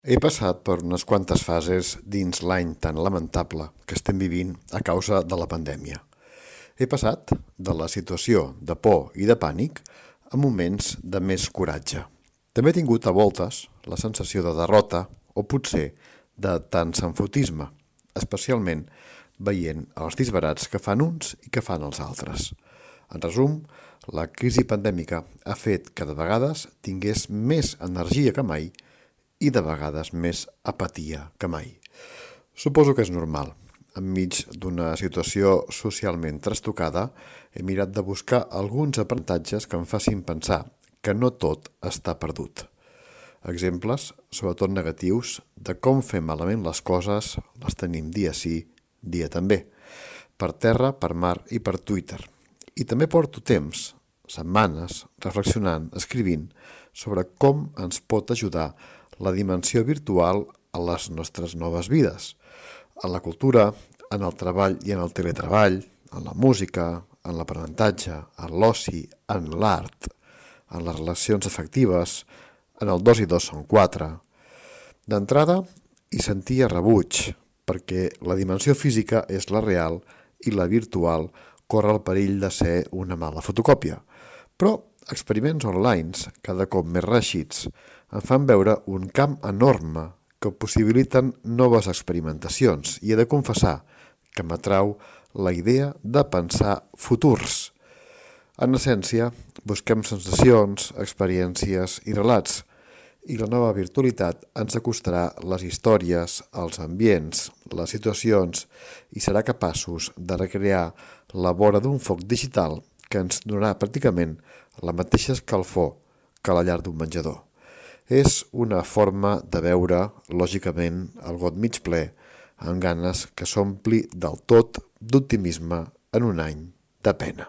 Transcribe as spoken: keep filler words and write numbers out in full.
He passat per unes quantes fases dins l'any tan lamentable que estem vivint a causa de la pandèmia. He passat de la situació de por i de pànic a moments de més coratge. També he tingut a voltes la sensació de derrota o potser de tant sanfotisme, especialment veient els disbarats que fan uns i que fan els altres. En resum, la crisi pandèmica ha fet que de vegades tingués més energia que mai i de vegades més apatia que mai. Suposo que és normal. Enmig d'una situació socialment trastocada, he mirat de buscar alguns aprenentatges que em facin pensar que no tot està perdut. Exemples, sobretot negatius, de com fer malament les coses les tenim dia sí, dia també. Per terra, per mar i per Twitter. I també porto temps, setmanes, reflexionant, escrivint sobre com ens pot ajudar la dimensió virtual a les nostres noves vides, en la cultura, en el treball i en el teletreball, en la música, en l'aprenentatge, en l'oci, en l'art, en les relacions afectives, en el dos i dos són quatre. D'entrada, hi sentia rebuig, perquè la dimensió física és la real i la virtual corre el perill de ser una mala fotocòpia. Però experiments online, cada cop més reeixits, em fan veure un camp enorme que possibiliten noves experimentacions i he de confessar que m'atrau la idea de pensar futurs. En essència, busquem sensacions, experiències i relats, i la nova virtualitat ens acostarà les històries, els ambients, les situacions i serà capaços de recrear la vora d'un foc digital que ens donarà pràcticament la mateixa escalfor que la llar d'un menjador. És una forma de veure, lògicament, el got mig ple, amb ganes que s'ompli del tot d'optimisme en un any de pena.